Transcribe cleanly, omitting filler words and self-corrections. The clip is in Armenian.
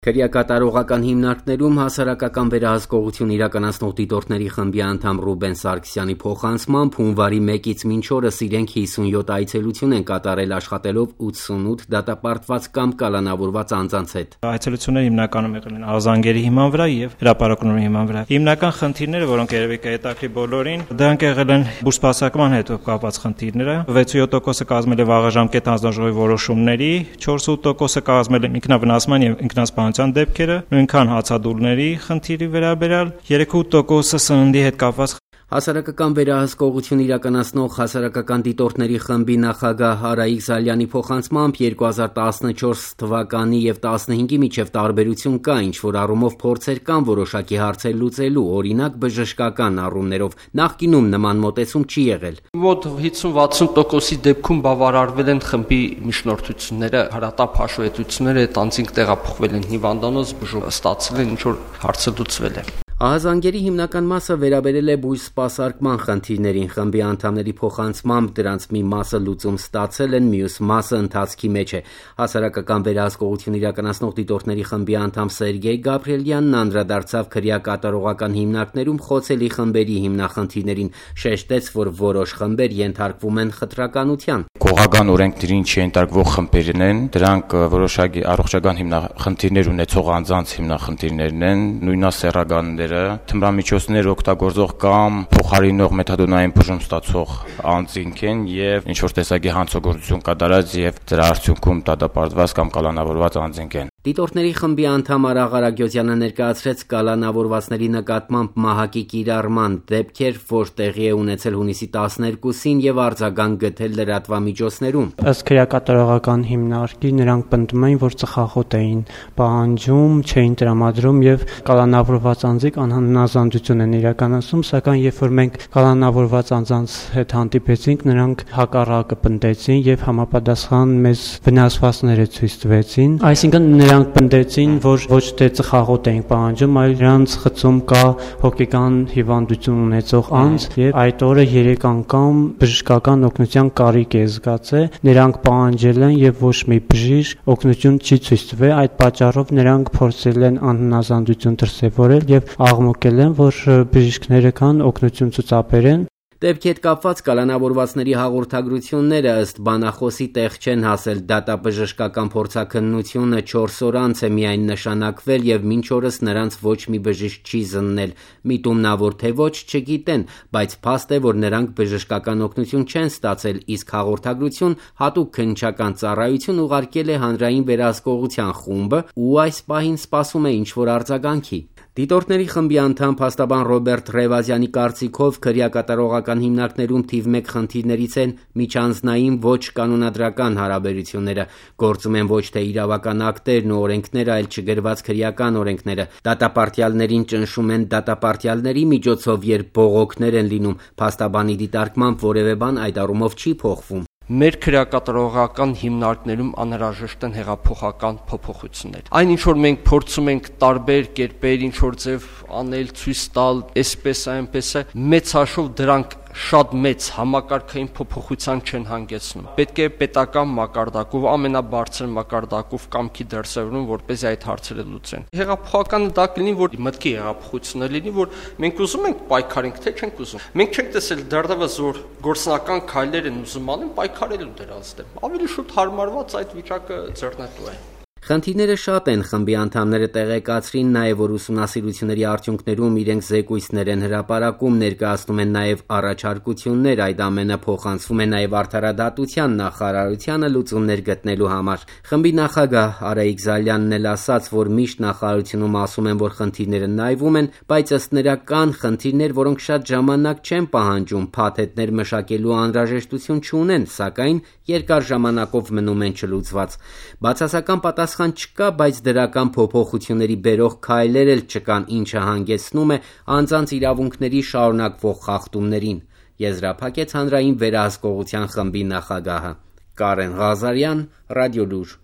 Քրեակատարողական հիմնարկներում հասարակական վերահսկողություն իրականացնող դիտորդների խմբի անդամ Ռուբեն Սարգսյանի փոխանցմամբ հունվարի 1-ից մինչ օրս իրենք 57 այցելություն են կատարել աշխատելով 88 դատապարտված կամ կալանավորված անձանց հետ։ Այցելությունները հիմնականում եղել են ազանգերի հիման վրա եւ հրապարակումների հիման վրա։ Հիմնական խնդիրները, որոնք երևի կհետաքրի բոլորին, դրանք եղել են բուսպասարկման հետ կապված խնդիրները։ 67%-ը կազմել է վաղաժամկետ հանձնաժողովի որոշումների, 4% կազմել է ինքնավնասման եւ ինքնասպանության դեպքերը, նույնքան հացադուլների խնդիրի վերաբերյալ, 3% սննդի հետ կապված։ Հասարակական վերահսկողություն իրականացնող հասարակական դիտորդների խմբի նախագահ Արայիկ Զալյանի փոխանցմամբ 2014 թվականի եւ 15-ի միջև տարբերություն կա, ինչ որ առումով փորձեր կան որոշակի հարցեր լուծելու, օրինակ բժշկական առումներով։ Նախկինում նման մոտեցում չի եղել։ Մոտ 50-60%-ի դեպքում բավարարվել են խմբի միջնորդությունները, հարատապ հաշվետվությունները, այդ անձինք տեղափոխվել են հիվանդանոց, բուժում ստացել են, ինչ որ հարցը լուծվել է։ Ահազանգերի հիմնական մասը վերաբերել է բույս սպասարկման խնդիրներին, խմբի անդամների փոխանցմամբ դրանց մի մասը լուծում ստացել են, մյուս մասը ընթացքի մեջ է։ Հասարակական վերահսկողություն իրականացնող դիտորդների խմբի անդամ Սերգեյ Գաբրիելյանն անդրադարձավ քրեակատարողական հիմնարկներում խոցելի խմբերի հիմնախնդիրներին, շեշտեց, որ որոշ խմբեր ենթարկվում են խտրականության։ Կողական օրենքներին չենթարկվող խմբերն են, դրանք որոշակի առողջական հիմնախնդիրներ ունեցող անձանց հիմնախնդիրներն են, նույնասեռականները, թմրամիջոցներ օգտագործող կամ փոխարինող մեթադոնային բուժում ստացող անձինք են եւ ինչ որ տեսակի հանցագործություն կատարած եւ դրա արդյունքում դատապարտված կամ կալանավորված անձինք են։ Դիտորդների խմբի անդամ Արաղ Արագյոզյանը ներկայացրեց կալանավորվածների նկատմամբ մահակի կիրառման դեպքեր, որ տեղի է ունեցել հունիսի 12-ին եւ արձագանք գտել լրատվամիջոցներում։ Ըստ քրեակատարողական հիմնարկի նրանք պնդում էին, որ ծխախոտ էին պահանջում, չէին տրամադրում եւ կալանավորված անձիկ անհնազանդություն են իրականացնում, սակայն երբ որ մենք կալանավորված անձանց հետ հանդիպեցինք, նրանք հակառակը պնդեցին եւ համապատասխան մեզ վնասվածքները ցույց տվեցին։ Այսինքն նրանք պնդեցին, որ ոչ թե ծխախոտ էին պահանջում, այլ նրանց խցում կա հոգեկան հիվանդություն ունեցող անձ եւ այդ օրը 3 անգամ բժշկական օգնության կարիք է զգացել։ Նրանք պահանջել են եւ ոչ մի բժիշկ օգնություն չի ցույց տվել, այդ պատճառով նրանք փորձել են անհնազանդություն դրսևորել եւ աղմկել են, որ բժիշկները կան օգնություն ցուցաբերեն։ Դեպքի հետ կապված կալանավորվածների հաղորդագրությունները ըստ բանախոսի տեղ չեն հասել, դատաբժշկական փորձաքննությունը 4 օր անց է միայն նշանակվել եւ մինչ օրս նրանց ոչ մի բժիշկ չի զննել, միտումնավոր թե ոչ չգիտեն, բայց փաստ է, որ նրանք բժշկական օգնություն չեն ստացել, իսկ հաղորդագրություն հատուկ քննչական ծառայություն ուղարկել է հանրային վերահսկողության խումբը ու այս պահին սպասում է ինչ-որ արձագանքի։ Դիտորդների խմբի անդամ փաստաբան Ռոբերտ Ռևազյանի կարծիքով քրեակատարողական հիմնարկներում թիվ 1 խնդիրներից են միջանձնային ոչ կանոնադրական հարաբերությունները, գործում են ոչ թե իրավական ակտերն ու օրենքները, այլ չգրված քրեական օրենքները։ Դատապարտյալներին ճնշում են դատապարտյալների միջոցով, երբ բողոքներ են լինում, փաստաբանի դիտարկմամբ որևէ բան այդ առումով չի փոխվում։ Մեր քրեակատարողական հիմնարկներում անհրաժեշտ են հեղափոխական փոփոխություններ։ Այն ինչ որ մենք փորձում ենք տարբեր կերպեր ինչ որ ձև անել, ցույց տալ, այսպես այնպես է, մեծ հաշվով դրանք շատ մեծ համակարգային փոփոխության չեն հանգեցնում։ Պետք է պետական մակարդակով, ամենաբարձր մակարդակով կամքի դրսևորում, որպեսզի այդ հարցերը լուծեն։ Հեղափոխականը դա կլինի, որ մտքի հեղափոխությունը լինի, որ մենք ուզում ենք պայքարենք, թե չենք ուզում։ Մենք չենք տեսել դեռևս որ գործնական քայլեր են ուզում անեն պայքարելու դրանց դեմ։ Ավելի շուտ հարմարված այդ վիճակը ձեռնտու է։ Խնդիրները շատ են, խմբի անդամները տեղեկացրին նաև, որ ուսումնասիրությունների արդյունքներում իրենք զեկույցներ են հրապարակում, ներկայացնում են նաև առաջարկություններ, այդ ամենը փոխանցվում է նաև Արդարադատության նախարարությանը լուծումներ գտնելու համար։ Խմբի նախագահ Արայիկ Զալյանն էլ ասաց, որ միշտ նախարարությունում ասում են, որ խնդիրները նայվում են, բայց ըստ նրա կան խնդիրներ, որոնք շատ ժամանակ չեն պահանջում, փաթեթներ մշակելու անհրաժեշտություն չունեն, սակայն երկար ժամանակով մնում են չլուծված։ Բացասական պատասխան չկա, բայց դրական փոփոխությունների բերող քայլեր էլ չկան, ինչը հանգեցնում է անձանց իրավունքների շարունակվող խախտումներին, եզրափակեց հանրային վերահսկողության խմբի նախագահը։ Կարեն Ղազարյան, Ռադիոլուր։